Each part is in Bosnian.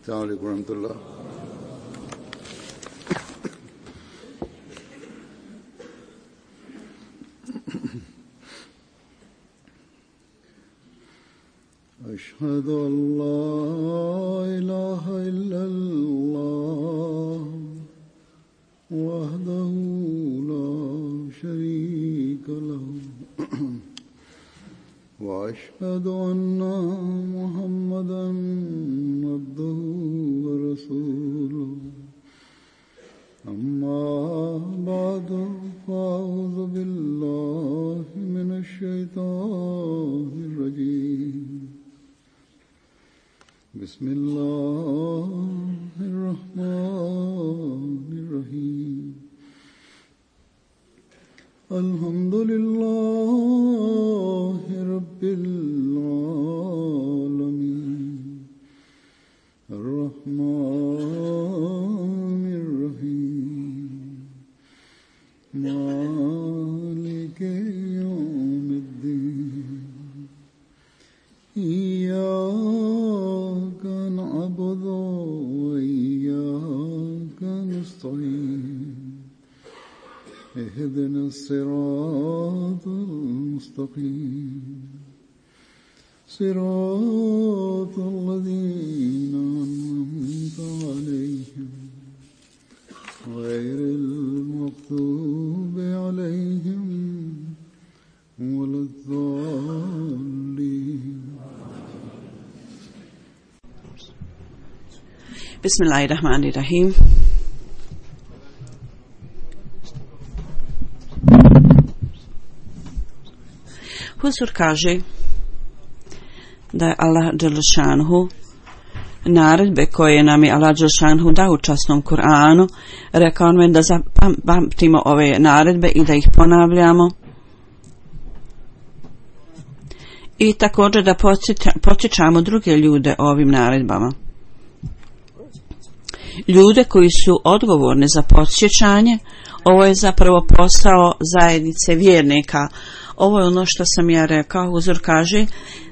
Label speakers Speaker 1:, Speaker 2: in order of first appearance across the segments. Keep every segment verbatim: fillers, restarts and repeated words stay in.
Speaker 1: السلام عليكم ورحمة الله. أشهد أن لا إله إلا الله وحده لا شريك له وأشهد أن محمدا عبده ورسوله أما بعد فأعوذ بالله من الشيطان الرجيم بسم الله الرحمن الرحيم الحمد لله رب العالمين الرحمن الرحيم مالك يوم الدين إياك نعبد وإياك نستعين اهدنا الصراط المستقيم صراط الذين أنعمت عليهم غير المغضوب عليهم ولا الضالين.
Speaker 2: Bismillahirrahmanirrahim. Huzur kaže da je Allah dželešanhu naredbe koje nam je Allah dželešanhu dao u časnom Kur'anu, rekao nam je da zapamtimo ove naredbe i da ih ponavljamo i također da podsjećamo druge ljude o ovim naredbama. Ljude koji su odgovorni za podsjećanje, ovo je zapravo posao zajednice vjernika. Ovo je ono što sam ja rekao. Huzur kaže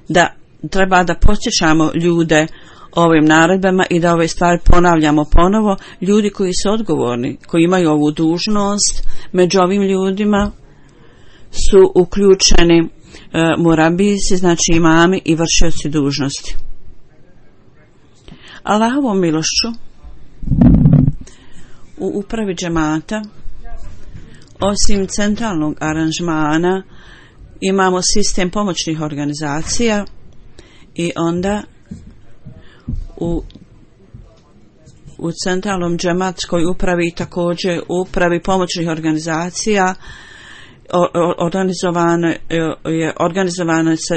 Speaker 2: da treba da podsjećamo ljude ovim naredbama i da ove stvari ponavljamo ponovo. Ljudi koji su odgovorni, koji imaju ovu dužnost, među ovim ljudima su uključeni e, murabisi, znači imami i vršioci dužnosti. Allahovom milošću u upravi džemata, osim centralnog aranžmana, imamo sistem pomoćnih organizacija i onda u, u centralnom džematskoj upravi također upravi pomoćnih organizacija organizovano je organizovano se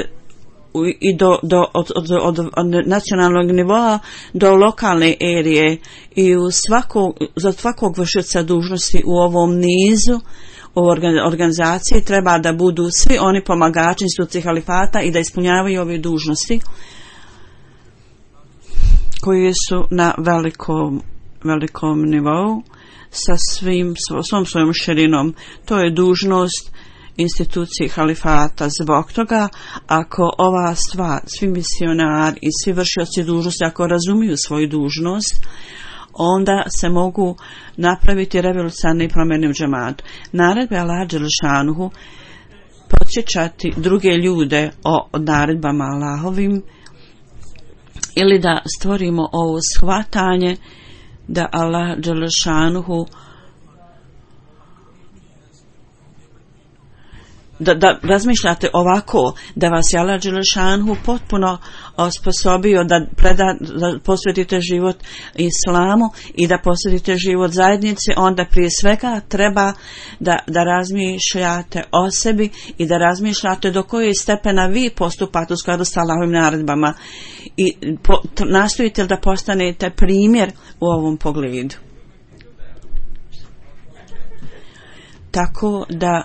Speaker 2: i do, do od, od, od, od nacionalnog nivoa do lokalne erije i u svakog, za svakog vršioca dužnosti u ovom nizu u organizaciji treba da budu svi oni pomagači institucije halifata i da ispunjavaju ove dužnosti koje su na velikom, velikom nivou sa svim, svom svojom širinom. To je dužnost institucije halifata. Zbog toga, ako ova stvar, svi misionari i svi vršioci dužnosti, ako razumiju svoju dužnost, onda se mogu napraviti revolucionarne promjene u džematu. Naredbe Allah dželešanuhu podsjećati druge ljude o naredbama Allahovim ili da stvorimo ovo shvatanje da Allah dželešanuhu Da, da razmišljate ovako, da vas je Allah dželešanuhu potpuno osposobio da, preda, da posvetite život islamu i da posvetite život zajednici, onda prije svega treba da, da razmišljate o sebi i da razmišljate do koje stepena vi postupate u skladu s Allahovim naredbama i po, nastojite da postanete primjer u ovom pogledu. Tako da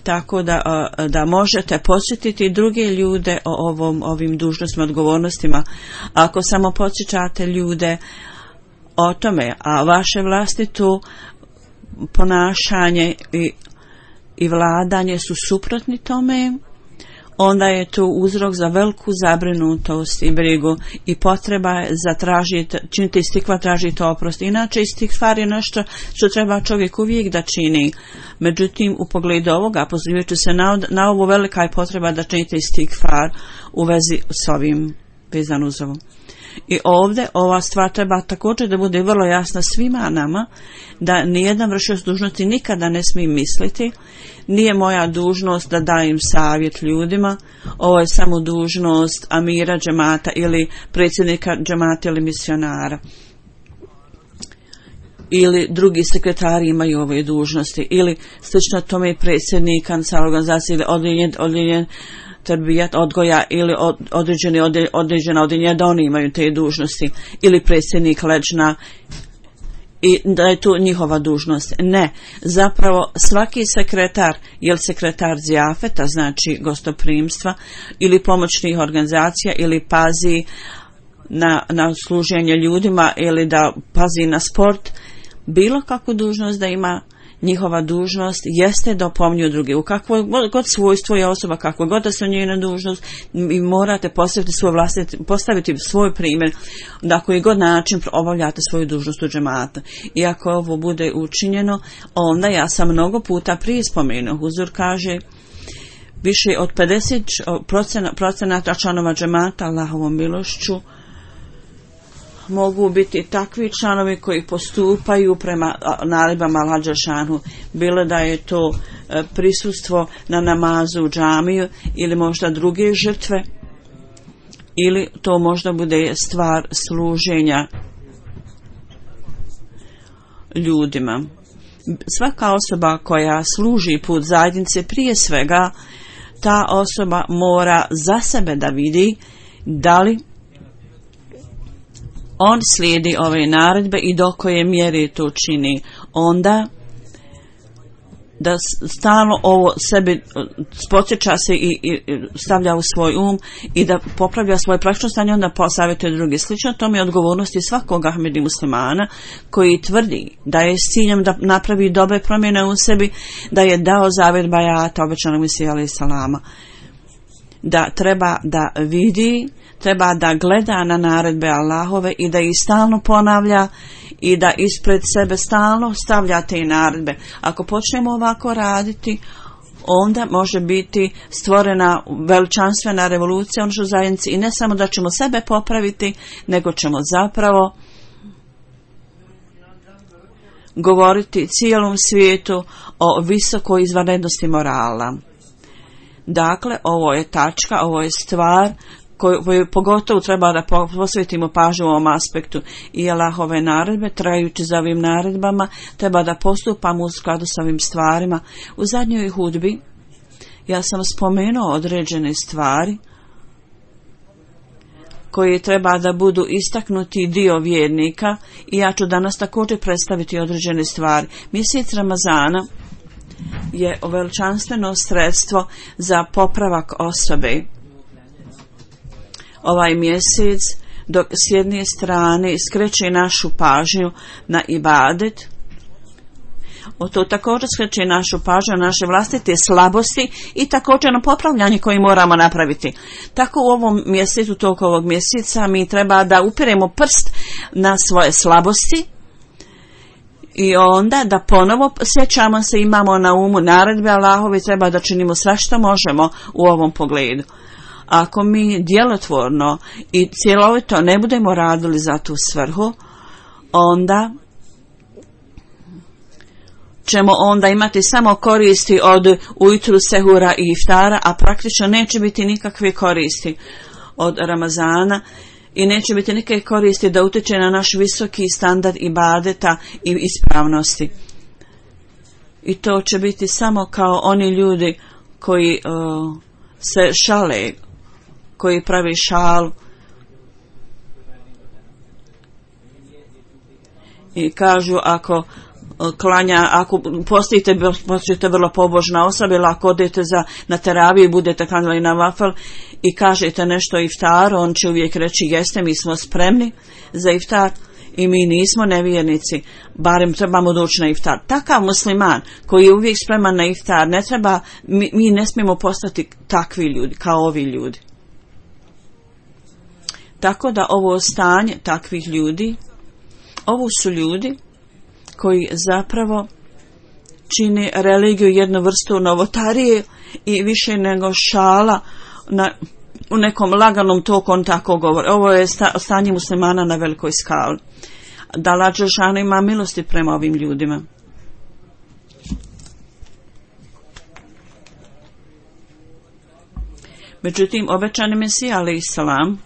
Speaker 2: tako da, da možete podsjetiti druge ljude o ovom, ovim dužnostima, odgovornostima. Ako samo podsjećate ljude o tome, a vaše vlastito ponašanje i, i vladanje su suprotni tome, onda je to uzrok za veliku zabrinutost i brigu i potreba je za tražiti, činiti istikvar, tražiti oprost. Inače, istikvar je nešto što treba čovjek uvijek da čini. Međutim, u pogledu ovoga, pozivajući se na, na ovo, velika je potreba da činite istikvar u vezi s ovim, vezan uz ovo. I ovdje ova stvar treba također da bude vrlo jasna svima nama, da nijedan vršioc dužnosti nikada ne smije misliti, nije moja dužnost da dajem savjet ljudima, ovo je samo dužnost amira džemata ili predsjednika džemata ili misionara. Ili drugi sekretari imaju ove dužnosti, ili slično tome predsjednika sa organizacije ili odljenjen, odljenjen terbijat odgoja ili od, određene određena odjeljenja da oni imaju te dužnosti ili predsjednik leđna i da je to njihova dužnost. Ne, zapravo svaki sekretar, jel sekretar zjafeta, znači gostoprimstva ili pomoćnih organizacija ili pazi na, na služenje ljudima ili da pazi na sport, bilo kakvu dužnost da ima, njihova dužnost jeste da opominju druge. U kakvoj god svojstvo je osoba, kako god da se njena dužnost, i morate postaviti svoj vlastiti, postaviti svoj primjer, na koji god način obavljate svoju dužnost u džemata. I ako ovo bude učinjeno, onda ja sam mnogo puta prije spomenuo, Huzur kaže, više od pedeset procenata članova džemata Allahovom milošću mogu biti takvi članovi koji postupaju prema naredbama Allaha dželešanu, bilo da je to prisustvo na namazu u džamiju ili možda druge žrtve, ili to možda bude stvar služenja ljudima. Svaka osoba koja služi put zajednice, prije svega ta osoba mora za sebe da vidi da li on slijedi ove naredbe i do koje mjere to čini. Onda da stalno ovo sebi podsjeća se i, i stavlja u svoj um i da popravlja svoje praktično stanje, onda posavjetuje drugi. Slično tome je odgovornosti svakog Ahmedi muslimana koji tvrdi da je s ciljem da napravi dobre promjene u sebi, da je dao zavjet bajata obećanog Mesija alejhi selama, da treba da vidi, treba da gleda na naredbe Allahove i da ih stalno ponavlja i da ispred sebe stalno stavlja te naredbe. Ako počnemo ovako raditi, onda može biti stvorena veličanstvena revolucija u našoj zajednici i ne samo da ćemo sebe popraviti, nego ćemo zapravo govoriti cijelom svijetu o visokoj izvanrednosti morala. Dakle, ovo je tačka, ovo je stvar koju pogotovo treba da posvetimo pažnju u ovom aspektu. I Allahove naredbe, trajući za ovim naredbama, treba da postupamo u skladu sa ovim stvarima. U zadnjoj hudbi ja sam spomenuo određene stvari koji treba da budu istaknuti dio vjernika i ja ću danas također predstaviti određene stvari. Mjesec Ramazana je veličanstveno sredstvo za popravak osobe. Ovaj mjesec, dok s jedne strane skreće našu pažnju na ibadet, o to također skreće našu pažnju na naše vlastite slabosti i također na popravljanje koje moramo napraviti. Tako u ovom mjesecu, toliko ovog mjeseca, mi treba da upiremo prst na svoje slabosti i onda da ponovo sjećamo se, imamo na umu naredbe Allahove, treba da činimo sve što možemo u ovom pogledu. Ako mi djelotvorno i cjelovito ne budemo radili za tu svrhu, onda ćemo onda imati samo koristi od ujutru, sehura i iftara, a praktično neće biti nikakve koristi od Ramazana i neće biti nikakve koristi da utječe na naš visoki standard ibadeta i ispravnosti. I to će biti samo kao oni ljudi koji uh, se šale, koji pravi šal i kažu ako klanja, ako postojite, postojite vrlo pobožna osoba, ili ako odete za, na teraviju i budete klanjali na vafel i kažete nešto iftar, on će uvijek reći jeste, mi smo spremni za iftar. i mi nismo nevjernici, barem trebamo doći na iftar. Takav musliman koji je uvijek spreman na iftar, ne treba, mi, mi ne smijemo postati takvi ljudi, kao ovi ljudi. Tako da ovo stanje takvih ljudi, ovo su ljudi koji zapravo čini religiju jednu vrstu novotarije i više nego šala na, u nekom laganom toku on tako govori. Ovo je sta, stanje muslimana na velikoj skali. Da Allah dželešanu ima milosti prema ovim ljudima. Međutim, obećani Mesija alejhi selam,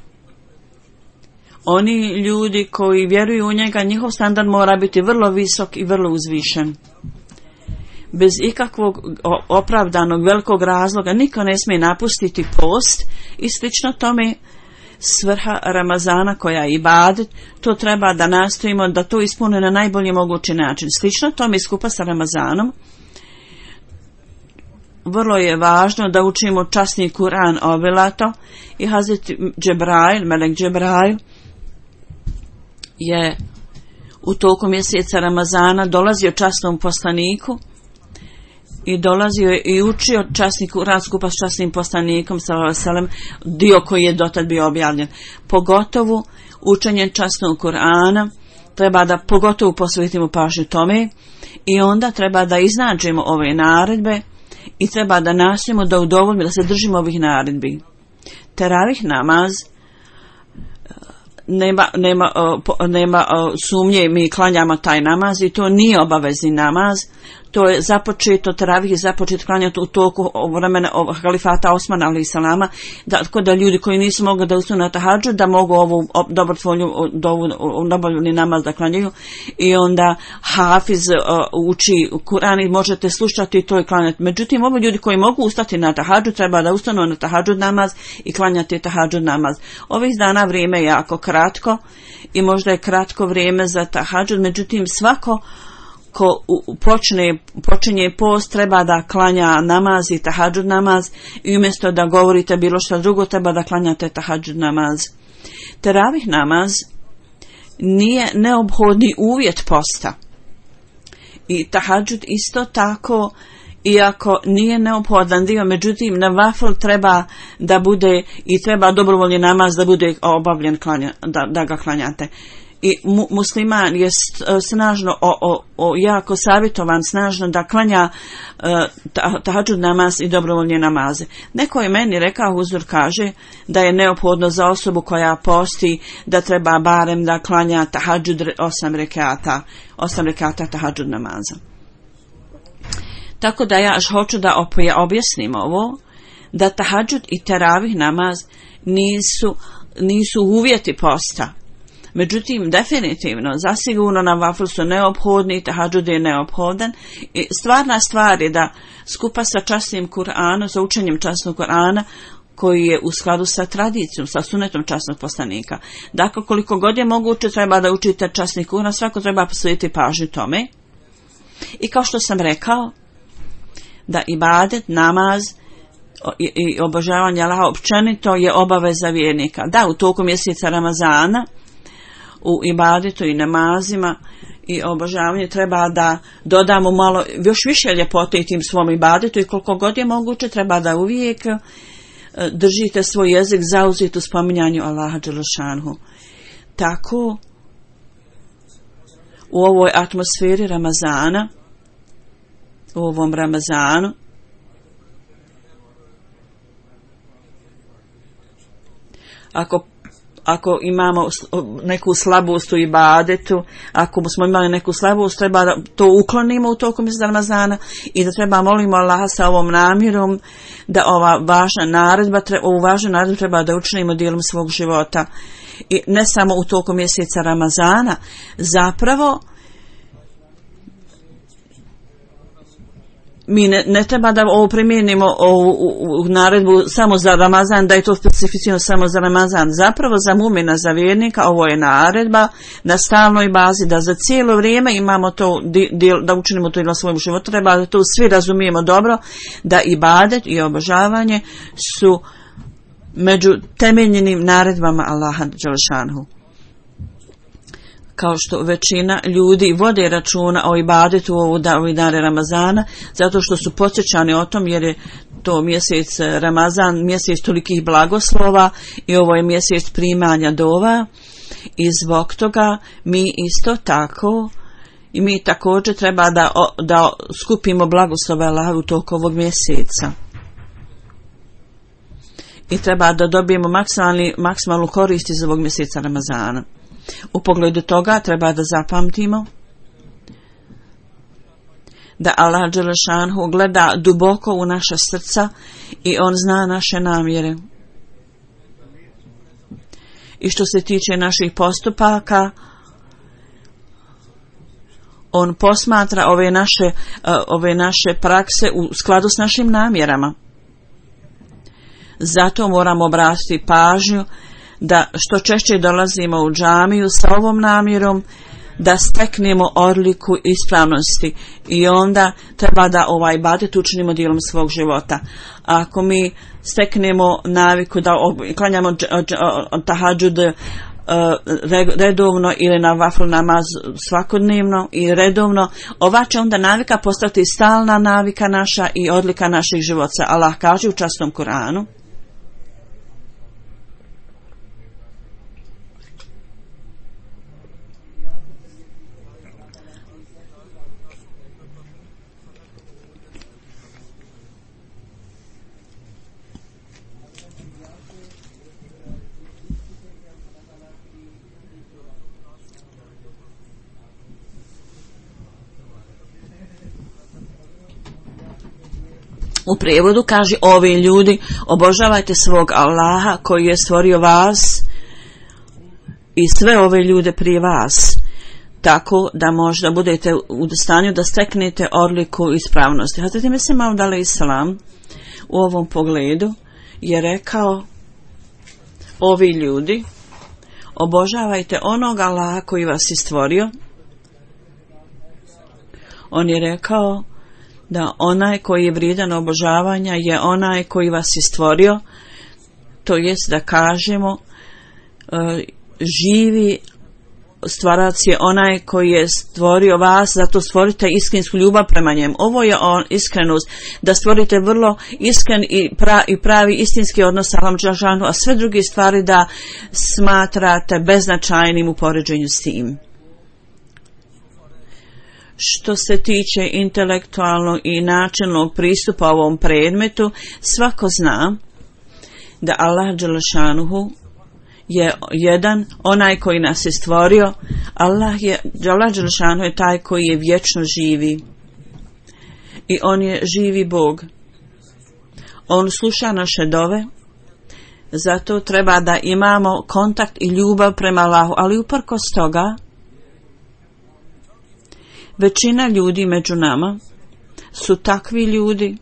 Speaker 2: oni ljudi koji vjeruju u njega, njihov standard mora biti vrlo visok i vrlo uzvišen. Bez ikakvog opravdanog velikog razloga niko ne smije napustiti post i slično tome svrha Ramazana koja je ibadet, to treba da nastojimo da to ispune na najbolji mogući način. Slično tome skupa sa Ramazanom vrlo je važno da učimo časni Kur'an obilato i Hazret Džebrail, Melek Džebrail je u toku mjeseca Ramazana dolazio časnom poslaniku i dolazio je i učio časni Kur'an skupa s časnim poslanikom sallallahu alejhi ve sellem, dio koji je dotad bio objavljen. Pogotovo učenje časnog Kur'ana treba da pogotovo posvetimo pažnju tome i onda treba da iznađemo ove naredbe i treba da nastojimo da udovoljimo, da se držimo ovih naredbi. Teravih namaz nema, nema, nema sumnje, mi klanjamo taj namaz i to nije obavezni namaz. To je započeto, teravih je započet klanjati u toku vremena halifata Osmana alejhi selama, da, da ljudi koji nisu mogli da ustanu na tahadžud, da mogu ovu dobrotvornu nabavljeni namaz da klanjaju i onda hafiz uh, uči Kur'an i možete slušati to i klanjati. Međutim, ovi ljudi koji mogu ustati na tahadžud treba da ustanu na tahadžud namaz i klanjati tahadžud namaz. Ovih dana vrijeme je jako kratko i možda je kratko vrijeme za tahadžud, međutim svako ko počne, počinje post treba da klanja namaz i tahadžud namaz i umjesto da govorite bilo što drugo treba da klanjate tahadžud namaz. Teravih namaz nije neophodni uvjet posta i tahadžud isto tako, iako nije neophodan dio, međutim na vafl treba da bude i treba dobrovoljni namaz da bude obavljen klanja, da, da ga klanjate. I mu, musliman je snažno o, o, o, jako savjetovan snažno da klanja uh, tahadžud namaz i dobrovoljne namaze. Neko je meni rekao, Huzur kaže da je neophodno za osobu koja posti da treba barem da klanja tahadžud osam rekata, osam rekata tahadžud namaza. Tako da ja hoću da objasnim ovo, da tahadžud i teravih namaz nisu, nisu uvjeti posta. Međutim, definitivno, zasigurno na vaflu su neophodni, tahadžud je neophodan i stvarna stvar je da skupa sa časnim Kur'anom, sa učenjem časnog Kur'ana, koji je u skladu sa tradicijom, sa sunetom časnog poslanika. Dakle, koliko god je moguće treba da učite časni Kur'an, svako treba posvetiti pažnju tome. I kao što sam rekao, da ibadet, namaz i, i obožavanje Allaha općenito je obaveza vjernika. Da, u toku mjeseca Ramazana u ibadetu i namazima i obožavanju treba da dodamo malo još više ljepote i tim svom ibadetu i koliko god je moguće treba da uvijek držite svoj jezik zauzet u spominjanju Allaha dželešanhu. Tako u ovoj atmosferi Ramazana, u ovom Ramazanu, ako ako imamo neku slabost u ibadetu, ako smo imali neku slabost, treba da to uklonimo u toku mjeseca Ramazana i da treba molimo Allaha sa ovom namjerom da ova važna naredba, ovu važnu naredbu treba da učinimo dijelom svog života. I ne samo u toku mjeseca Ramazana, zapravo mi ne, ne treba da ovo primijenimo ovu u, u naredbu samo za Ramazan, da je to specifično samo za Ramazan. Zapravo za mumina, za vjernika, ovo je naredba na stalnoj bazi, da za cijelo vrijeme imamo to, di, di, da učinimo to i na svojom životu. Treba da to svi razumijemo dobro, da ibadet i obožavanje su među temeljnim naredbama Allaha dželešanhu. kao što većina ljudi vode računa o ibadetu u ovih dana Ramazana, zato što su podsjećani o tom, jer je to mjesec Ramazan, mjesec tolikih blagoslova i ovo je mjesec primanja dova, i zbog toga mi isto tako i mi također treba da, da skupimo blagoslove Allaha u toku ovog mjeseca. I treba da dobijemo maksimalnu korist iz ovog mjeseca Ramazana. U pogledu toga treba da zapamtimo da Allah dželešanhu gleda duboko u naša srca i on zna naše namjere. I što se tiče naših postupaka, on posmatra ove naše, ove naše prakse u skladu s našim namjerama. Zato moramo obratiti pažnju da što češće dolazimo u džamiju sa ovom namjerom, da steknemo odliku ispravnosti i onda treba da ovaj ibadet učinimo dijelom svog života. A ako mi steknemo naviku da klanjamo tahadžud redovno ili na vaflu namaz svakodnevno i redovno, ova će onda navika postati stalna navika naša i odlika naših života. Allah kaže u časnom Kuranu: u prijevodu kaže: ovi ljudi, obožavajte svog Allaha koji je stvorio vas i sve ove ljude prije vas, tako da možda budete u stanju da steknete odliku ispravnosti. Hazret Mesih Maud alejhi selam u ovom pogledu je rekao: ovi ljudi, obožavajte onog Allaha koji vas je stvorio. On je rekao da onaj koji je vrijedan obožavanja je onaj koji vas je stvorio, to jest da kažemo živi stvarac je onaj koji je stvorio vas, zato stvorite iskrensku ljubav prema njemu. Ovo je on, iskrenost, da stvorite vrlo iskren i, pra, i pravi istinski odnos sa Allahom dželešanu, a sve druge stvari da smatrate beznačajnim u poređenju s tim. Što se tiče intelektualnog i načelnog pristupa ovom predmetu, svako zna da Allah dželešanuhu je jedan, onaj koji nas je stvorio. Allah je, Allah dželešanuhu je taj koji je vječno živi i on je živi Bog. On sluša naše dove, zato treba da imamo kontakt i ljubav prema Allahu, ali uprkos toga većina ljudi među nama su takvi ljudi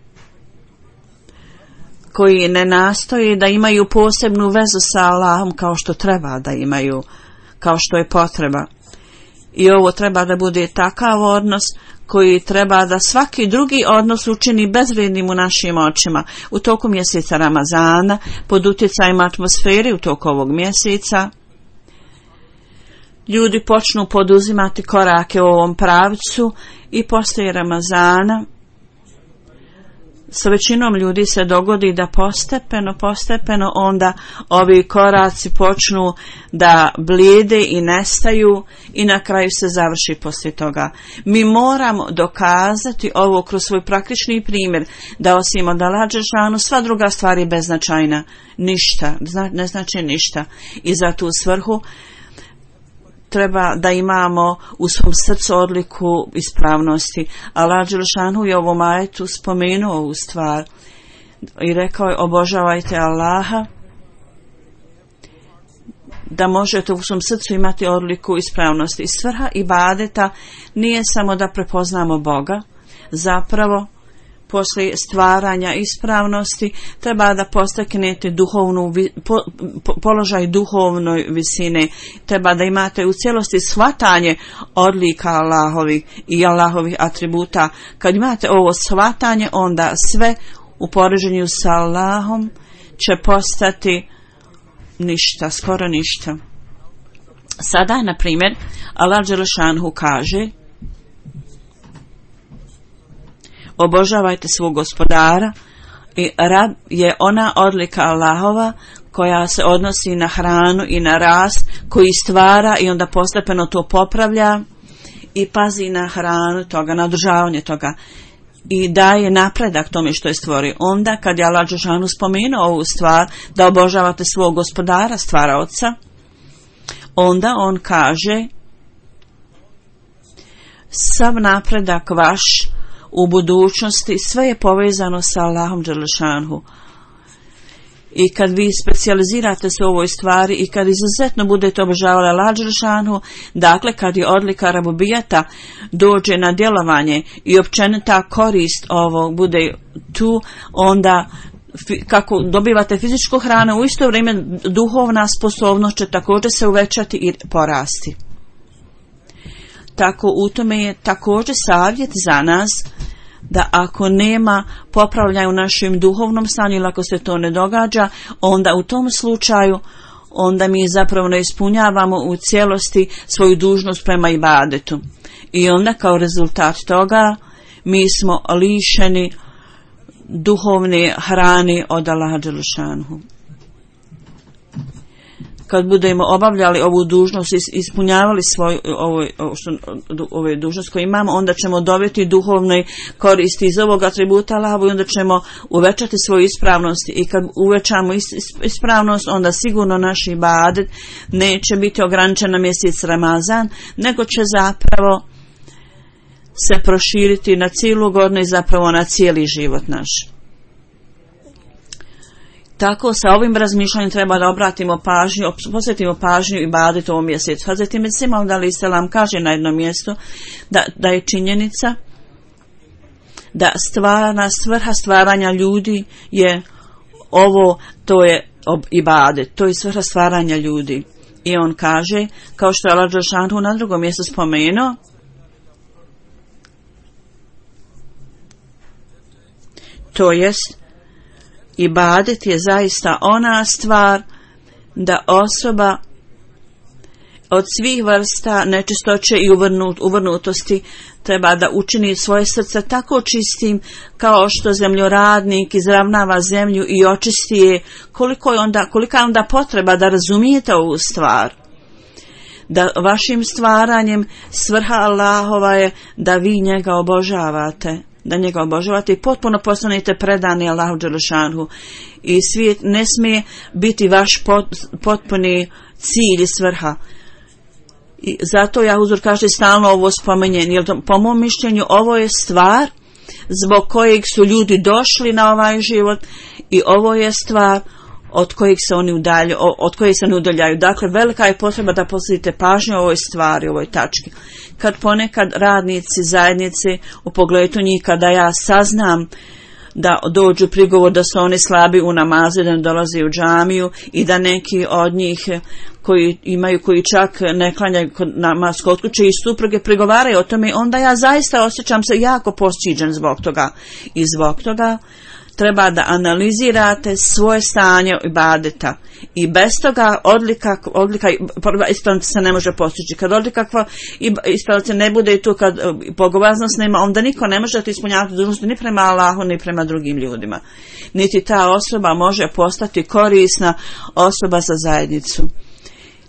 Speaker 2: koji ne nastoje da imaju posebnu vezu sa Allahom kao što treba da imaju, kao što je potreba. I ovo treba da bude takav odnos koji treba da svaki drugi odnos učini bezvrednim u našim očima. U toku mjeseca Ramazana, pod utjecajem atmosfere u toku ovog mjeseca, ljudi počnu poduzimati korake u ovom pravcu i poslije Ramazana sa većinom ljudi se dogodi da postepeno, postepeno onda ovi koraci počnu da blijede i nestaju i na kraju se završi poslije toga. Mi moramo dokazati ovo kroz svoj praktični primjer, da osim od Allaha dželešanu sva druga stvar je beznačajna, ništa, ne znači ništa. I za tu svrhu treba da imamo u svom srcu odliku ispravnosti. Allah dželešanu je u ovom ajetu spomenuo ovu stvar i rekao je: obožavajte Allaha, da možete u svom srcu imati odliku ispravnosti. I svrha ibadeta nije samo da prepoznamo Boga, zapravo poslije stvaranja ispravnosti treba da posteknete duhovnu, po, po, položaj duhovnoj visine, treba da imate u cijelosti shvatanje odlika Allahovih i Allahovih atributa. Kad imate ovo shvatanje, onda sve u poređenju sa Allahom će postati ništa, skoro ništa. Sada, na primjer, Allah dželešanhu kaže: obožavajte svog gospodara, i rab je ona odlika Allahova koja se odnosi na hranu i na rast, koji stvara i onda postepeno to popravlja i pazi na hranu toga, na održavanje toga i daje napredak tome što je stvorio. Onda kad je Allah dželešanhu spomenuo ovu stvar, da obožavate svog gospodara, stvaraoca, onda on kaže: sav napredak vaš u budućnosti, sve je povezano sa Allahom dželešanhu. I kad vi specijalizirate se u ovoj stvari i kad izuzetno budete obožavali Allah dželešanhu, dakle kad je odlika rabubijata dođe na djelovanje i općenita korist ovog bude tu, onda kako dobivate fizičku hranu, u isto vrijeme duhovna sposobnost će također se uvećati i porasti. Tako u tome je također savjet za nas da ako nema popravljanja u našem duhovnom stanju ili ako se to ne događa, onda u tom slučaju onda mi zapravo ne ispunjavamo u cijelosti svoju dužnost prema ibadetu. I onda kao rezultat toga mi smo lišeni duhovne hrane od Allaha dželešanhu. Kad budemo obavljali ovu dužnost, ispunjavali svoju ovo, ove dužnost koje imamo, onda ćemo dobiti duhovne koristi iz ovog atributa Allaha i onda ćemo uvećati svoju ispravnost. I kad uvećamo ispravnost, onda sigurno naš ibadet neće biti ograničen na mjesec Ramazan, nego će zapravo se proširiti na cijelu godinu i zapravo na cijeli život naš. Tako sa ovim razmišljanjem treba da obratimo pažnju, posvetimo pažnju ibadetu ovom mjesecu. Hazreti Mesih Maud alejhi selam kaže na jednom mjestu da, da je činjenica da stvarna svrha stvaranja ljudi je ovo, to je ibadet, to je svrha stvaranja ljudi. I on kaže, kao što je Allah dželešanhu na drugom mjestu spomenuo, to jest ibadet je zaista ona stvar da osoba od svih vrsta nečistoće i uvrnut, uvrnutosti treba da učini svoje srce tako čistim kao što zemljoradnik izravnava zemlju i očisti je. Koliko je onda, kolika je onda potreba da razumijete ovu stvar? Da vašim stvaranjem svrha Allahova je da vi njega obožavate. Da njega obožavate i potpuno postanete predani Allahu dželešanhu. I svijet ne smije biti vaš pot, potpuni cilj i svrha. I zato ja uzor kaže stalno ovo spomenjen, jer po mom mišljenju ovo je stvar zbog kojeg su ljudi došli na ovaj život i ovo je stvar od kojeg se oni udalju, od kojeg se ne udaljaju. Dakle, velika je potreba da posvetite pažnju o ovoj stvari, o ovoj tački. Kad ponekad radnici zajednice u pogledu njih, kada ja saznam da dođu prigovor da su oni slabi u namazu, da ne dolaze u džamiju i da neki od njih koji imaju, koji čak ne klanjaju namaz kod kuće i supruge prigovaraju o tome, onda ja zaista osjećam se jako posćiđen zbog toga. I zbog toga treba da analizirate svoje stanje ibadeta i bez toga odlika, odlika ispravnost se ne može postići. Kad odlika ispravnost ne bude i tu, kad bogobojaznost nema, onda niko ne može da ispunjavati dužnosti ni prema Allahu ni prema drugim ljudima. Niti ta osoba može postati korisna osoba za zajednicu.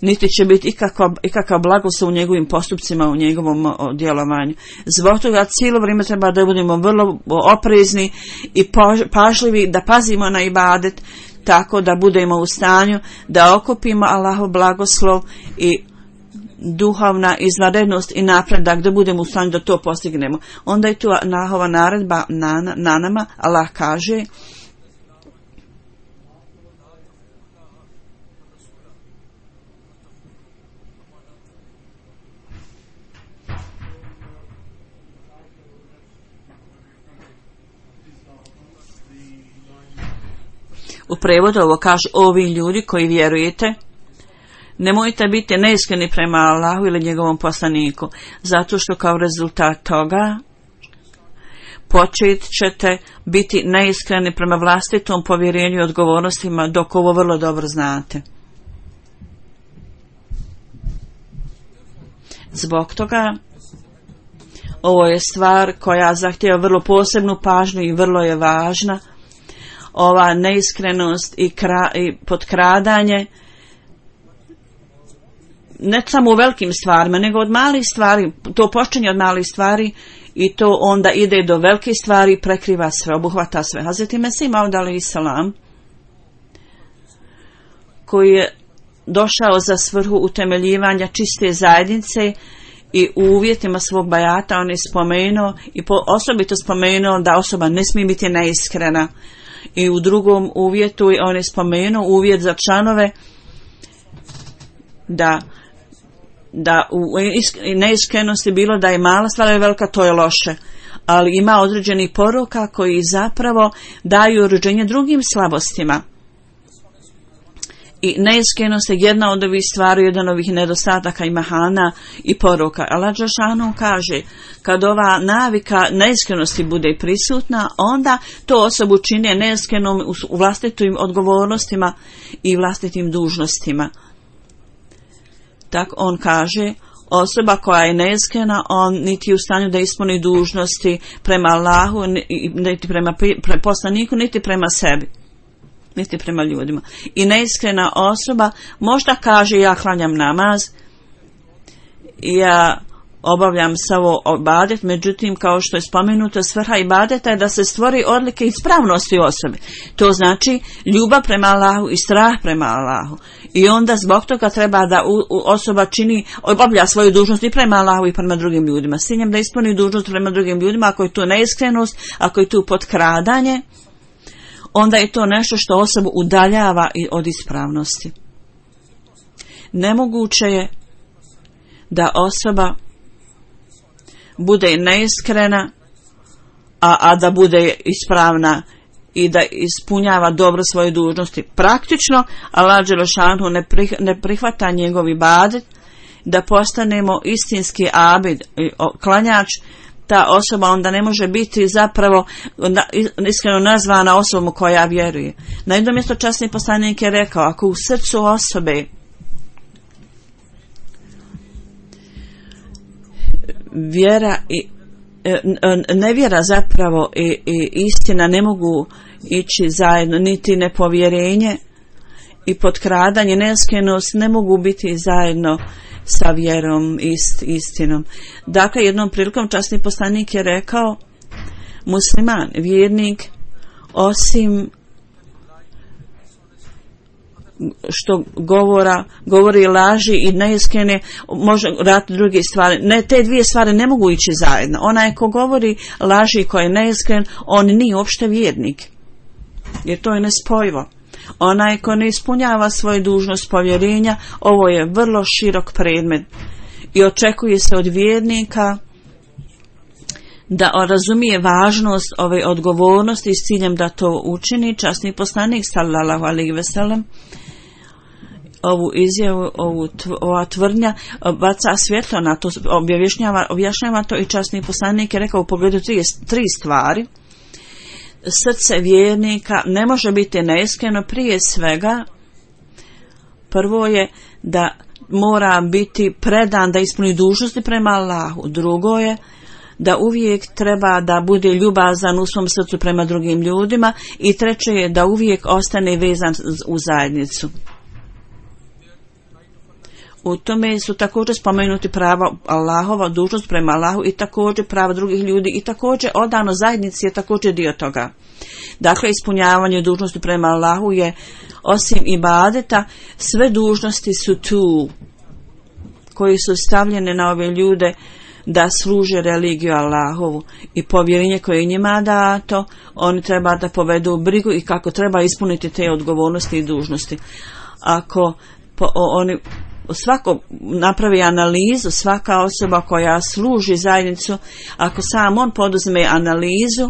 Speaker 2: Niti će biti ikakav, ikakav blagoslov u njegovim postupcima, u njegovom djelovanju. Zbog toga cijelo vrijeme treba da budemo vrlo oprezni i pažljivi, da pazimo na ibadet, tako da budemo u stanju da okupimo Allahov blagoslov i duhovna izvanrednost i napredak, da budemo u stanju da to postignemo. Onda je tu Allahova naredba na, na nama. Allah kaže: u prevodu ovo kaže: ovi ljudi koji vjerujete, nemojte biti neiskreni prema Allahu ili njegovom poslaniku, zato što kao rezultat toga počet ćete biti neiskreni prema vlastitom povjerenju i odgovornostima, dok ovo vrlo dobro znate. Zbog toga ovo je stvar koja zahtijeva vrlo posebnu pažnju i vrlo je važna. Ova neiskrenost i, kra, i potkradanje ne samo u velikim stvarima, nego od malih stvari, to počinje od malih stvari i to onda ide do velikih stvari, prekriva sve, obuhvata sve. Hazreti Mesih Maud alejhi selam, koji je došao za svrhu utemeljivanja čiste zajednice i u uvjetima svog bajata, on je spomenuo i po, osobito spomenuo da osoba ne smije biti neiskrena. I u drugom uvjetu on je spomenuo uvjet za članove da da u neiskrenosti bilo da je mala stvar ili velika, to je loše, ali ima određeni poruka koji zapravo daju rođenje drugim slabostima. I neiskrenost je jedna od ovih stvari, jedan od ovih nedostataka i mahana i poruka. Allah dželešanu kaže, kad ova navika neiskrenosti bude prisutna, onda to osobu čini neiskrenom u vlastitim odgovornostima i vlastitim dužnostima. Tak on kaže, osoba koja je neiskrena, on niti u stanju da ispuni dužnosti prema Allahu, niti prema pre, poslaniku, niti prema sebi, niti prema ljudima. I neiskrena osoba možda kaže, ja klanjam namaz, ja obavljam samo ibadet, međutim, kao što je spomenuto, svrha ibadeta je da se stvori odlike ispravnosti osobe. To znači ljubav prema Allahu i strah prema Allahu. I onda zbog toga treba da u, u osoba čini, obavlja svoju dužnost i prema Allahu i prema drugim ljudima. S ciljem da ispuni dužnost prema drugim ljudima, ako je tu neiskrenost, ako je tu potkradanje, onda je to nešto što osobu udaljava od ispravnosti. Nemoguće je da osoba bude neiskrena, a, a da bude ispravna i da ispunjava dobro svoje dužnosti. Praktično, Allah dželešanu ne, prih, ne prihvata njegov ibadet, da postanemo istinski abid, klanjač, ta osoba onda ne može biti zapravo iskreno nazvana osobom koja vjeruje. Na jednom mjestu časni poslanik je rekao, ako u srcu osobe vjera i nevjera zapravo i, i istina ne mogu ići zajedno, niti nepovjerenje i potkradanje, neiskrenost ne mogu biti zajedno sa vjerom i ist, istinom. Dakle, jednom prilikom časni poslanik je rekao, musliman, vjernik, osim što govora, govori laži i neiskrene, može raditi druge stvari. Ne, te dvije stvari ne mogu ići zajedno. Onaj ko govori laži i ko je neiskren, on nije uopšte vjernik. Jer to je nespojivo. Onaj ko ne ispunjava svoju dužnost povjerenja, ovo je vrlo širok predmet. I očekuje se od vjernika da razumije važnost ove odgovornosti s ciljem da to učini. Časni poslanik sallallahu alejhi ve sellem ovu izjavu, ovu ova tvrdnja baca svjetlo na to, objašnjava, objašnjava to i časni poslanik je rekao u pogledu tri, tri stvari. Srce vjernika ne može biti neiskreno, prije svega prvo je da mora biti predan da ispuni dužnosti prema Allahu, drugo je da uvijek treba da bude ljubazan u svom srcu prema drugim ljudima i treće je da uvijek ostane vezan u zajednicu. U tome su također spomenuti prava Allahova, dužnost prema Allahu i također prava drugih ljudi i također odano zajednici je također dio toga. Dakle, ispunjavanje dužnosti prema Allahu je osim ibadeta, sve dužnosti su tu koji su stavljene na ove ljude da služe religiju Allahovu i povjerenje koje je njima dato, oni treba da povedu brigu i kako treba ispuniti te odgovornosti i dužnosti. Ako po, oni svako napravi analizu, svaka osoba koja služi zajednicu, ako sam on poduzme analizu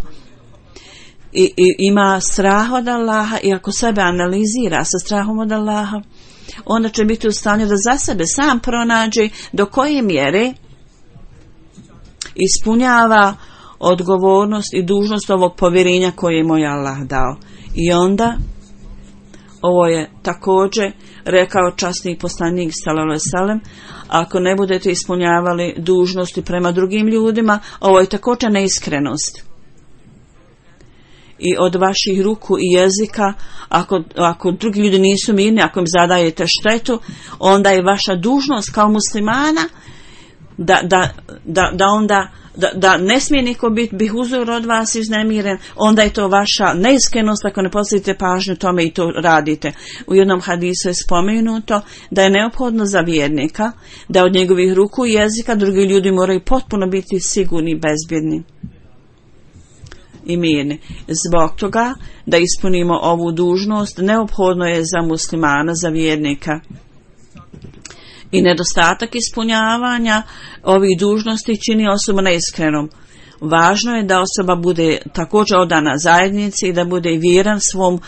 Speaker 2: i, i ima strah od Allaha i ako sebe analizira sa strahom od Allaha, onda će biti u stanju da za sebe sam pronađe do koje mjere ispunjava odgovornost i dužnost ovog povjerenja koje mu je Allah dao. I onda, ovo je također rekao časni poslanik sallallahu alejhi ve sellem, ako ne budete ispunjavali dužnosti prema drugim ljudima, ovo je također neiskrenost. I od vaših ruku i jezika, ako, ako drugi ljudi nisu mirni, ako im zadajete štetu, onda je vaša dužnost kao muslimana da, da, da, da onda Da, da ne smije niko biti bihuzur od vas iznemiren, onda je to vaša neiskrenost ako ne posvetite pažnju tome i to radite. U jednom hadisu je spomenuto da je neophodno za vjernika da od njegovih ruku i jezika drugi ljudi moraju potpuno biti sigurni i bezbjedni i mirni. Zbog toga da ispunimo ovu dužnost neophodno je za muslimana, za vjernika. I nedostatak ispunjavanja ovih dužnosti čini osobu neiskrenom. Važno je da osoba bude također odana zajednici i da bude vjeran svom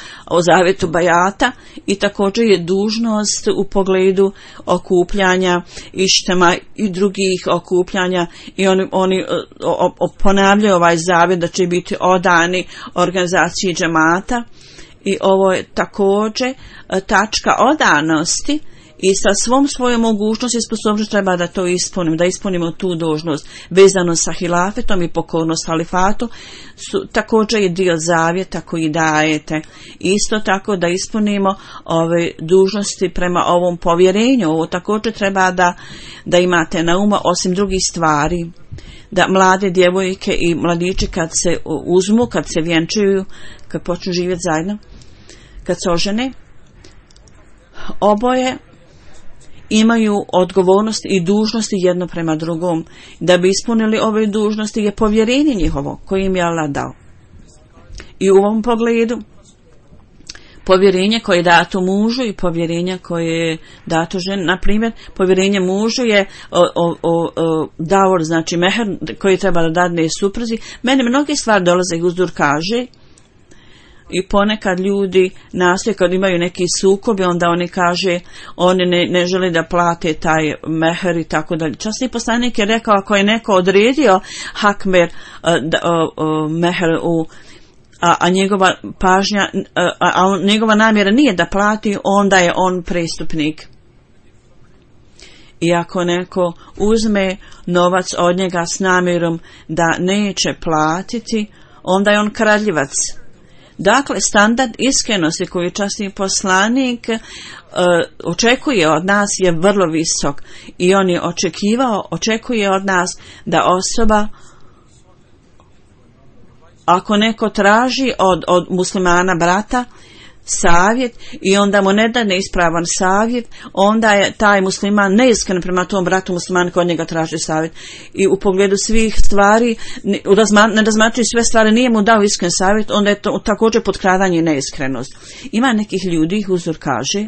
Speaker 2: zavjetu bajata i također je dužnost u pogledu okupljanja ištema i drugih okupljanja i oni, oni o, o, ponavljaju ovaj zavjet da će biti odani organizaciji džemata i ovo je također tačka odanosti. I sa svom svojom mogućnosti i sposobnošću treba da to ispunimo, da ispunimo tu dužnost vezano sa hilafetom i pokornost halifatu, su također je dio zavjeta koji dajete. Isto tako da ispunimo ove dužnosti prema ovom povjerenju. Ovo također treba da, da imate na umu osim drugih stvari. Da mlade djevojke i mladići kad se uzmu, kad se vjenčuju, kad počnu živjeti zajedno, kad se ožene, oboje imaju odgovornost i dužnosti jedno prema drugom. Da bi ispunili ove dužnosti je povjerenje njihovo koje im je Allah dao. I u ovom pogledu povjerenje koje je dato mužu i povjerenje koje je dato ženi, na primjer, povjerenje mužu je o, o, o, o, davor, znači meher koji treba da dadne supruzi. Mene mnogi stvari dolaze i uzdur kaže i ponekad ljudi nastoje kad imaju neki sukob i onda oni kaže oni ne, ne žele da plate taj meher i tako dalje. Časni poslanik je rekao ako je neko odredio hakmer uh, uh, uh, meher u A, a njegova pažnja, a, a njegova namjera nije da plati, onda je on prestupnik. I ako neko uzme novac od njega s namjerom da neće platiti, onda je on kradljivac. Dakle, standard iskrenosti koju časni poslanik uh, očekuje od nas je vrlo visok. I on je očekivao, očekuje od nas da osoba, ako neko traži od, od muslimana brata savjet i onda mu ne da neispravan savjet, onda je taj musliman neiskren prema tom bratu muslimanu koji od njega traži savjet. I u pogledu svih stvari, ne, ne razmatrajući sve stvari, nije mu dao iskren savjet, onda je to također potkradanje i neiskrenost. Ima nekih ljudi, Huzur kaže,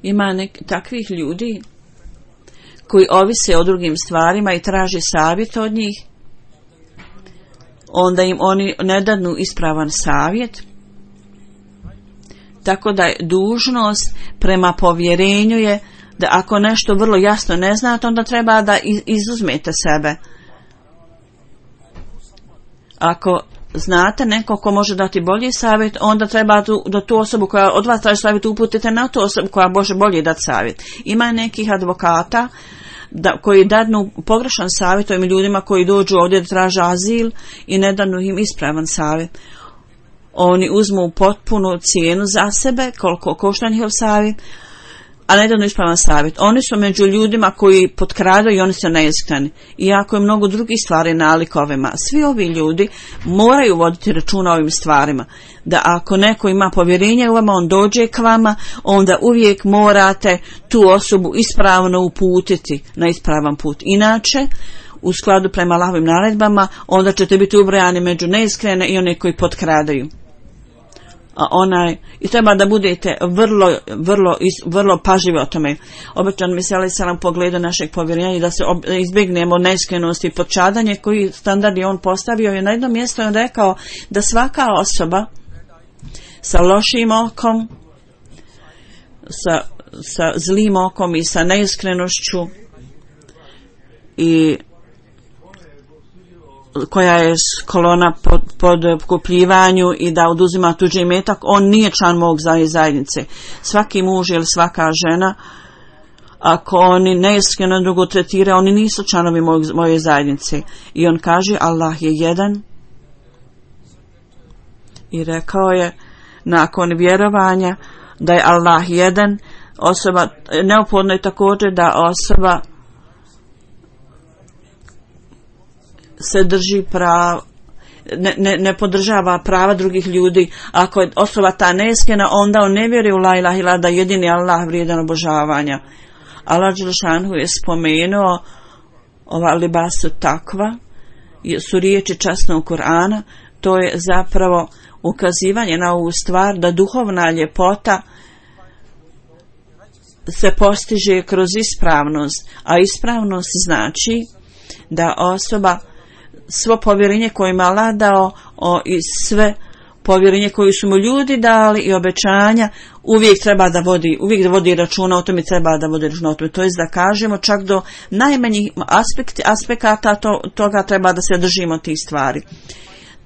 Speaker 2: ima nek, takvih ljudi koji ovise o drugim stvarima i traži savjet od njih, onda im oni ne dadnu ispravan savjet. Tako da je dužnost prema povjerenju je da ako nešto vrlo jasno ne znate, onda treba da izuzmete sebe. Ako znate neko ko može dati bolji savjet, onda treba da tu osobu koja od vas traži savjet uputite na tu osobu koja može bolje dati savjet. Ima nekih advokata da, koji dadnu pogrešan savjet ovim ljudima koji dođu ovdje da traže azil i ne dadnu im ispravan savjet. Oni uzmu potpunu cijenu za sebe, koliko košta njihov savjet, a ne dadnu ispravan savjet. Oni su među ljudima koji potkradaju i oni su neiskreni. Iako je mnogo drugih stvari nalik ovima. Svi ovi ljudi moraju voditi računa o ovim stvarima. Da ako neko ima povjerenje u vama, on dođe k vama, onda uvijek morate tu osobu ispravno uputiti na ispravan put. Inače, u skladu prema Allahovim naredbama, onda ćete biti ubrojani među neiskrene i one koji potkradaju. A onaj, i treba da budete vrlo, vrlo, vrlo pažljivi o tome. Obećan mi se ali salam pogleda našeg povjerenja i da se ob, izbjegnemo neiskrenosti i podčadanje koji standard je on postavio. I na jednom mjestu on rekao da svaka osoba sa lošim okom, sa, sa zlim okom i sa neiskrenošću i koja je kolona pod, pod kupljivanju i da oduzima tuđi imetak, on nije član mog zajednice. Svaki muž ili svaka žena, ako oni neiskreno drugo tretira, oni nisu članovi moj, moje zajednice. I on kaže, Allah je jedan. I rekao je, nakon vjerovanja da je Allah jedan, osoba, neophodno je također da osoba se drži prava, ne, ne, ne podržava prava drugih ljudi. Ako je osoba ta neiskrena, onda on ne vjeruje u la ilaha illa, da jedini Allah vrijedan obožavanja. Allah dželešanu je spomenuo ova libasu takva, su riječi časnog Kur'ana, to je zapravo ukazivanje na ovu stvar da duhovna ljepota se postiže kroz ispravnost, a ispravnost znači da osoba svo povjerenje koje ima Allah dao o, i sve povjerenje koje su mu ljudi dali i obećanja uvijek treba da vodi, uvijek da vodi računa o tome, treba da vodi računa o tome. To je da kažemo čak do najmanjih aspekti, aspekata to, toga treba da se držimo tih stvari.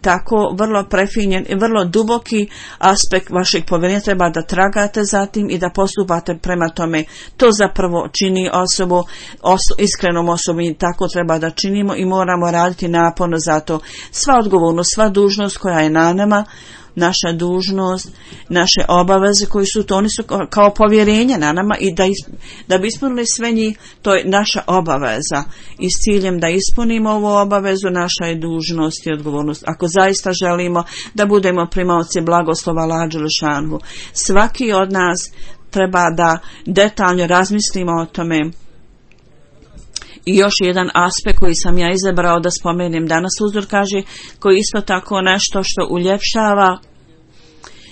Speaker 2: Tako vrlo prefinjen i vrlo duboki aspekt vašeg povjerenja treba da tragate za tim i da postupate prema tome. To zapravo čini osobu, oso, iskrenom osobom i tako treba da činimo i moramo raditi naporno za to. Sva odgovornost, sva dužnost koja je na nama, naša dužnost, naše obaveze koji su to, oni su kao povjerenje na nama i da, is, da bi ispunili sve njih, to je naša obaveza i s ciljem da ispunimo ovu obavezu naša je dužnost i odgovornost. Ako zaista želimo da budemo primaoci blagoslova Allaha dželešanu, svaki od nas treba da detaljno razmislimo o tome. I još jedan aspekt koji sam ja izabrao da spomenem danas, uzor kaže, koji isto tako nešto što uljepšava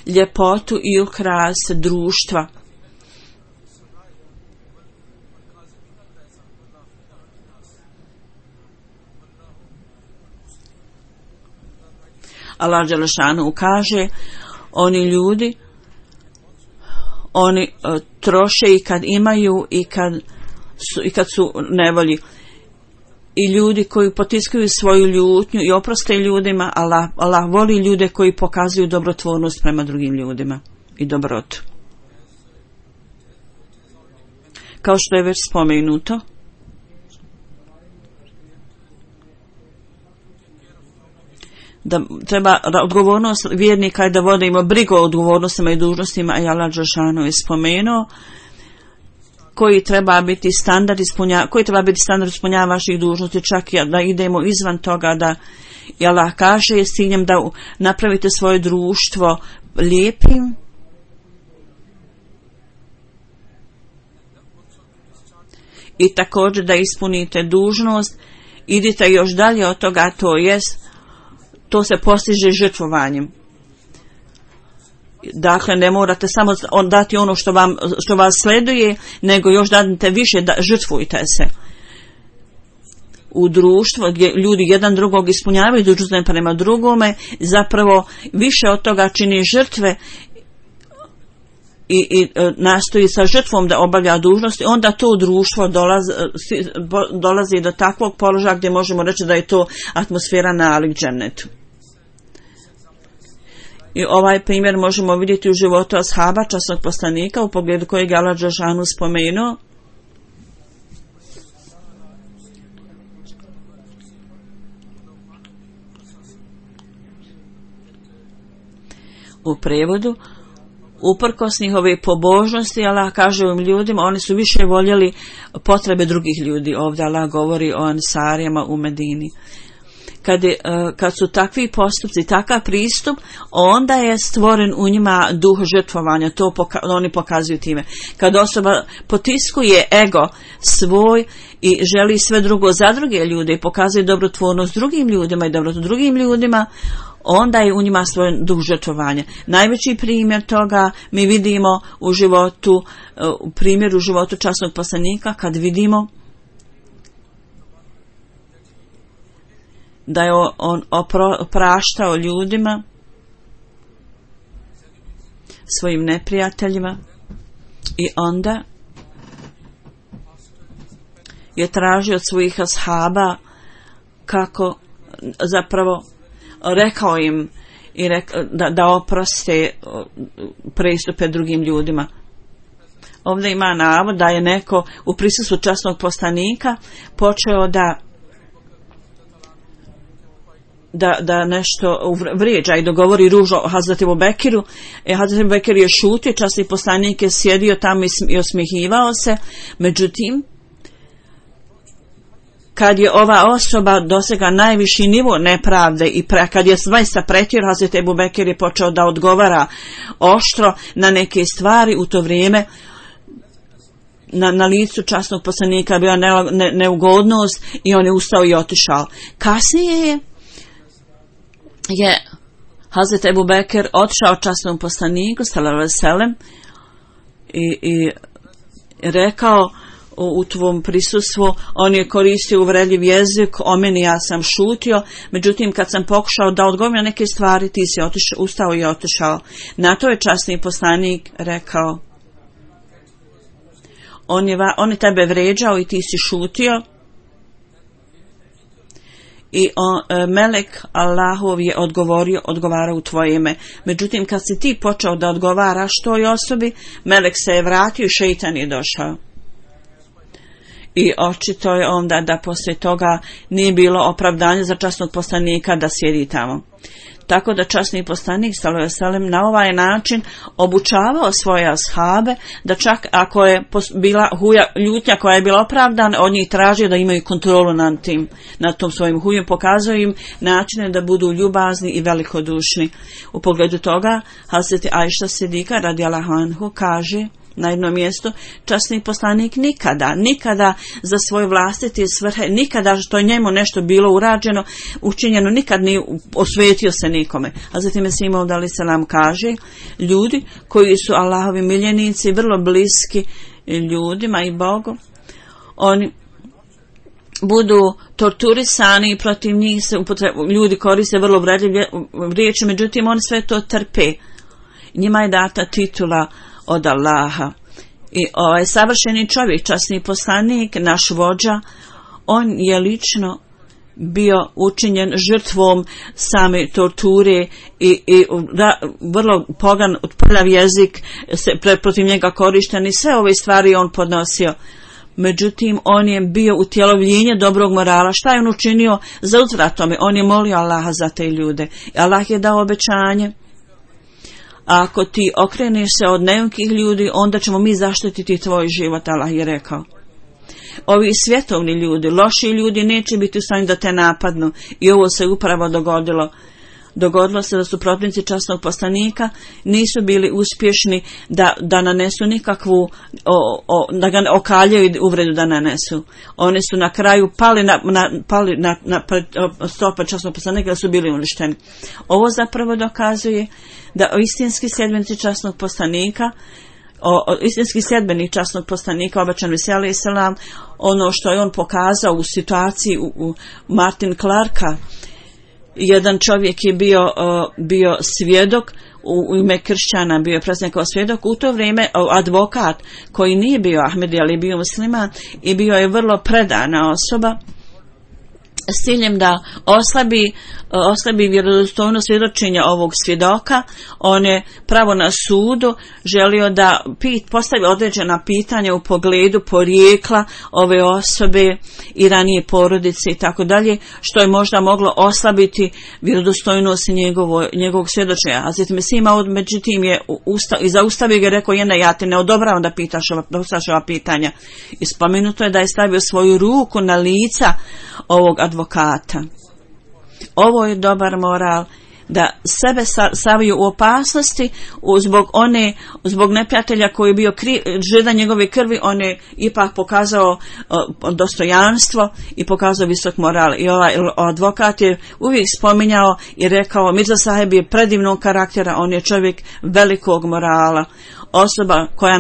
Speaker 2: ljepotu i ukras društva. Allah dželešanu kaže, oni ljudi, oni uh, troše i kad imaju i kad Su, i kad su nevolji, i ljudi koji potiskuju svoju ljutnju i oproste ljudima. Allah, Allah voli ljude koji pokazuju dobrotvornost prema drugim ljudima i dobrotu. Kao što je već spomenuto, da treba odgovornost vjernika je da vodimo brigu o odgovornostima i dužnostima, a Allah dželešanu je spomenuo koji treba biti standard ispunja, koji treba biti standard ispunjavanja vaših dužnosti, čak da idemo izvan toga, da i Allah kaže je s ciljem da napravite svoje društvo lijepim i također da ispunite dužnost. Idite još dalje od toga, to jest to se postiže žrtvovanjem. Dakle, ne morate samo dati ono što, vam, što vas sleduje, nego još dadite više, da žrtvujte se. U društvu gdje ljudi jedan drugog ispunjavaju dužnosti prema drugome, zapravo više od toga čini žrtve i, i nastoji sa žrtvom da obavlja dužnosti, onda to društvo dolazi, dolazi do takvog položaja gdje možemo reći da je to atmosfera nalik džennetu. I ovaj primjer možemo vidjeti u životu ashaba, časnog poslanika, u pogledu kojeg je Allah dželešanu spomenuo. U prevodu, uprkos njihove pobožnosti, Allah kaže ovim ljudima, oni su više voljeli potrebe drugih ljudi. Ovdje Allah govori o Ansarijama u Medini. Kad, je, kad su takvi postupci, takav pristup, onda je stvoren u njima duh žrtvovanja, to poka, oni pokazuju time. Kad osoba potiskuje ego svoj i želi sve drugo za druge ljude i pokazuje dobrotvornost drugim ljudima i dobrotu drugim ljudima, onda je u njima svoj duh žrtvovanja. Najveći primjer toga mi vidimo u životu, u primjeru životu časnog poslanika, kad vidimo da je on opraštao ljudima, svojim neprijateljima, i onda je tražio od svojih ashaba kako zapravo rekao im i rekao da, da oproste prestupe drugim ljudima. Ovdje ima navod da je neko u prisustvu časnog poslanika počeo da da, da nešto vrijeđa i dogovori ružno o Hazreti Ebu Bekiru. E, Hazreti Ebu Bekir je šutio, časni poslanik je sjedio tamo i osmihivao se. Međutim, kad je ova osoba dosega najviši nivo nepravde i pre, kad je zaista pretjerao, Hazreti Ebu Bekir je počeo da odgovara oštro na neke stvari. U to vrijeme na, na licu časnog poslanika bila ne, ne, neugodnost i on je ustao i otišao. Kasnije je je Hazreti Ebu Bekir otišao časnom poslaniku sallallahu alejhi ve sellem i, i rekao u, u tvom prisustvu, on je koristio uvredljiv jezik, o meni ja sam šutio, međutim kad sam pokušao da odgovorim na neke stvari, ti si otišao, ustao i otišao. Na to je časni poslanik rekao, on je, on je tebe vređao i ti si šutio. I on, e, melek Allahov je odgovorio, odgovarao u tvoje ime. Međutim, kad si ti počeo da odgovaraš toj osobi, melek se je vratio i šeitan je došao. I očito je onda da poslije toga nije bilo opravdanje za časnog poslanika da sjedi tamo. Tako da časni poslanik sallallahu alejhi ve sellem na ovaj način obučavao svoje ashabe da čak ako je bila huja, ljutnja koja je bila opravdana, od njih tražio da imaju kontrolu nad tim, nad tom svojim hujem, pokazao im načine da budu ljubazni i velikodušni. U pogledu toga Hazreti Ajša Sidika radijallahu anhu kaže na jednom mjestu, časni poslanik nikada, nikada za svoje vlastite svrhe, nikada što je njemu nešto bilo urađeno, učinjeno, nikad nije osvetio se nikome. A zatim Mesih Maud alejhi selam kaže, ljudi koji su Allahovi miljenici, vrlo bliski ljudima i Bogu, oni budu torturisani i protiv njih se upotrebu, ljudi koriste vrlo uvredljive riječi, međutim oni sve to trpe. Njima je data titula od Allaha. I ovaj savršeni čovjek, časni poslanik, naš vođa, on je lično bio učinjen žrtvom same torture i, i da, vrlo pogan, prljav jezik se pre, protiv njega korišten i sve ove stvari on podnosio. Međutim, on je bio utjelovljenje dobrog morala. Šta je on učinio za uzvrat tome? On je molio Allaha za te ljude. I Allah je dao obećanje. A ako ti okreneš se od neukih ljudi, onda ćemo mi zaštititi tvoj život, Allah je rekao. Ovi svjetovni ljudi, loši ljudi neće biti u stanju da te napadnu. I ovo se upravo dogodilo. Dogodilo se da su protivnici časnog poslanika nisu bili uspješni da, da nanesu nikakvu, o, o, da ga okaljaju i uvredu da nanesu. Oni su na kraju pali na, na, pali na, na stopa časnog poslanika da su bili uništeni. Ovo zapravo dokazuje da istinski sljedbenici časnog poslanika, o, o, istinski sljedbenik časnog poslanika, obećan Mesih alejhi selam, ono što je on pokazao u situaciji u, u Martin Clarka, jedan čovjek je bio, uh, bio svjedok u, u ime kršćana, bio je predstavljen kao svjedok, u to vrijeme uh, advokat koji nije bio Ahmedi, ali bio musliman i bio je vrlo predana osoba s ciljem da oslabi, oslabi vjerodostojno svjedočenja ovog svjedoka. On je pravo na sudu želio da pit, postavi određena pitanja u pogledu porijekla ove osobe i ranije porodice i tako dalje, što je možda moglo oslabiti vjerodostojnost njegovo, njegovog svjedočenja. A zatim Mesih Maud međutim je usta, i zaustavio ga i rekao, jedna, ja te ne odobravam da pitaš ova, da postaviš ova pitanja. I spomenuto je da je stavio svoju ruku na lica ovog advokata. Ovo je dobar moral, da sebe stavio u opasnosti zbog one, zbog neprijatelja koji je bio žedan njegove krvi, on je ipak pokazao uh, dostojanstvo i pokazao visok moral. I ovaj advokat je uvijek spominjao i rekao, Mirza Saheb je predivnog karaktera, on je čovjek velikog morala, osoba koja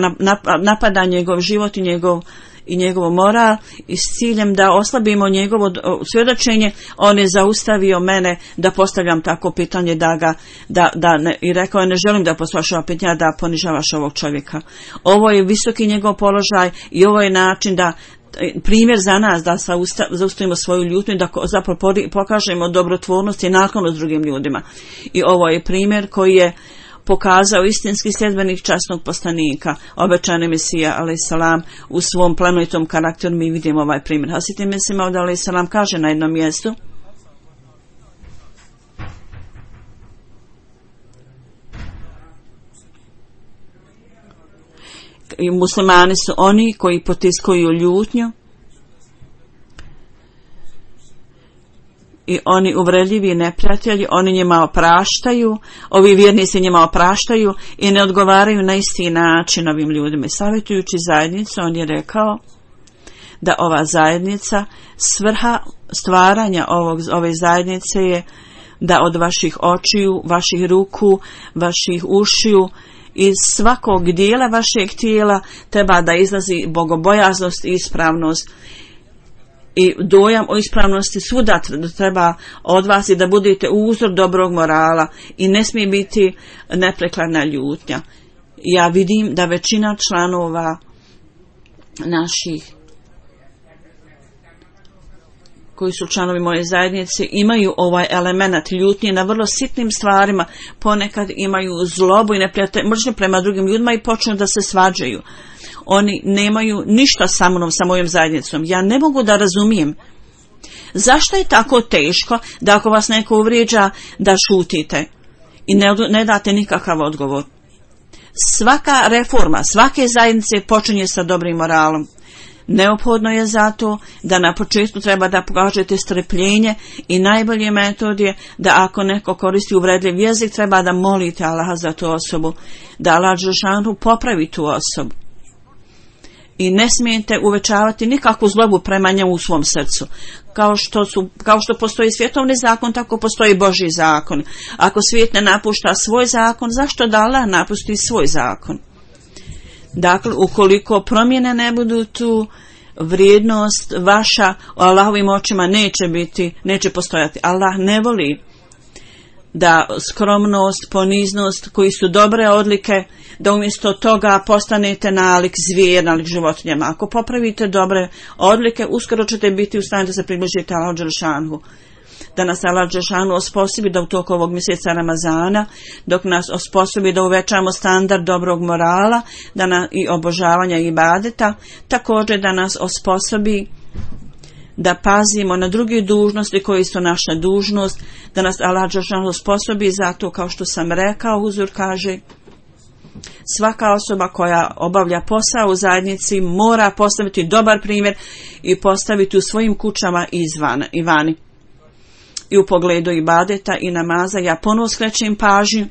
Speaker 2: napada njegov život i njegov i njegovo moral i s ciljem da oslabimo njegovo svjedočenje, on je zaustavio mene da postavljam tako pitanje da ga, da, da ne, i rekao je, ne želim da postavljaš ova pitanja, da ponižavaš ovog čovjeka. Ovo je visoki njegov položaj i ovo je način da primjer za nas da zaustavimo svoju ljutnju i da zapravo pokažemo dobrotvornost i naklonost drugim ljudima. I ovo je primjer koji je pokazao istinski sljedbenik časnog poslanika, obećani Mesija alejhi selam, u svom plemenitom karakteru. Mi vidimo ovaj primjer. Hazreti Mesih Maud alejhi selam kaže na jednom mjestu: i muslimani su oni koji potiskuju ljutnju i oni uvredljivi neprijatelji, oni njima opraštaju, ovi vjernici njima opraštaju i ne odgovaraju na isti način ovim ljudima. Savjetujući zajednicu, on je rekao da ova zajednica, svrha stvaranja ovog, ove zajednice je da od vaših očiju, vaših ruku, vaših ušiju, iz svakog dijela vašeg tijela treba da izlazi bogobojaznost i ispravnost. I dojam o ispravnosti svuda treba od vas i da budete uzor dobrog morala i ne smije biti neprekladna ljutnja. Ja vidim da većina članova naših koji su članovi moje zajednice imaju ovaj element ljutnje na vrlo sitnim stvarima, ponekad imaju zlobu i neprijateljstvo prema drugim ljudima i počnu da se svađaju. Oni nemaju ništa sa mnom, sa mojom zajednicom. Ja ne mogu da razumijem zašto je tako teško da ako vas neko uvrijeđa da šutite i ne, ne date nikakav odgovor. Svaka reforma, svake zajednice počinje sa dobrim moralom. Neophodno je zato da na početku treba da pokažete strpljenje i najbolji metod je da ako neko koristi uvredljiv jezik treba da molite Allaha za tu osobu, da Allah dželešanu popravi tu osobu. I ne smijete uvećavati nikakvu zlobu prema njemu u svom srcu. Kao što, su, kao što postoji svjetovni zakon, tako postoji Božji zakon. Ako svijet ne napušta svoj zakon, zašto da Allah napusti svoj zakon? Dakle, ukoliko promjene ne budu tu, vrijednost vaša u Allahovim očima neće biti, neće postojati. Allah ne voli da skromnost, poniznost, koji su dobre odlike, da umjesto toga postanete nalik zvijer, nalik životinjama. Ako popravite dobre odlike, uskoro ćete biti u stanju da se približite Allahu dželešanu. Da nas Allah dželešanu osposobi da u toku ovog mjeseca Ramazana, dok nas osposobi da uvećamo standard dobrog morala, da na, i obožavanja i ibadeta, također da nas osposobi da pazimo na druge dužnosti koji su naša dužnost, da nas Allah dželešanu osposobi zato, kao što sam rekao, Huzur kaže, svaka osoba koja obavlja posao u zajednici mora postaviti dobar primjer i postaviti u svojim kućama izvan, i vani. I u pogledu ibadeta i namaza ja ponovo skrećem pažnju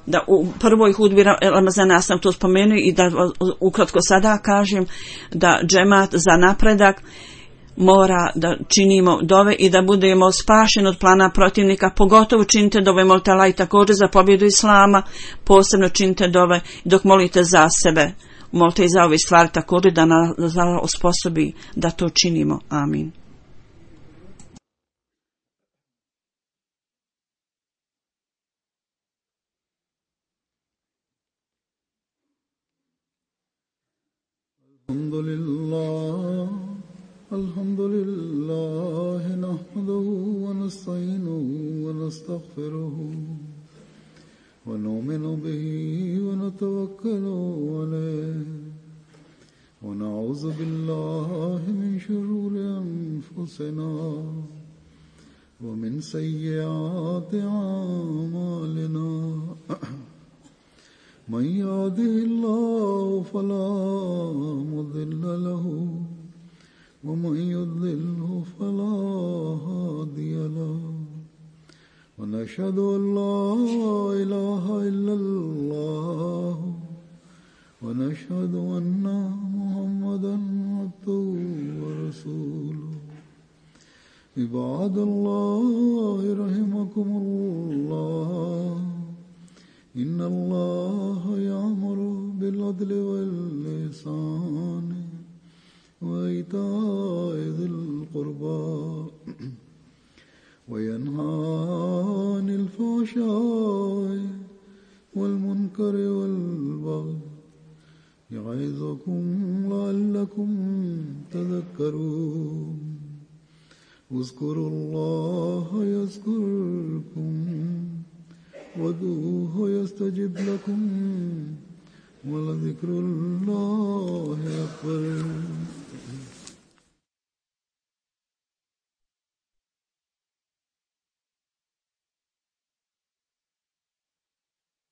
Speaker 2: da u prvoj hudbi Ramazana sam to spomenuo i da ukratko sada kažem da džemat za napredak mora da činimo dove i da budemo spašeni od plana protivnika, pogotovo činite dove molite Allah i također za pobjedu Islama, posebno činite dove dok molite za sebe, molite i za ove stvari također da nas Allah osposobi da to činimo. Amin.
Speaker 1: Alhamdulillah, alhamdulillah, nahmaduhu wa nasta'inuhu wa nastaghfiruhu wa nu'minu bihi wa natawakkalu alayhi wa na'udhu billahi min shururi anfusina wa min sayyiati a'malina. من يهده الله فلا مضل له ومن يضلله فلا هادي له ونشهد أن لا إله إلا الله ونشهد أن محمدا عبده ورسوله. عباد الله رحمكم الله، إن الله يأمر بالعدل والإحسان وإيتاء ذي القربى وينهى عن الفحشاء والمنكر والبغي يعظكم لعلكم تذكرون اذكروا الله يذكركم وادعوه يستجب لكم ولذكر الله أكبر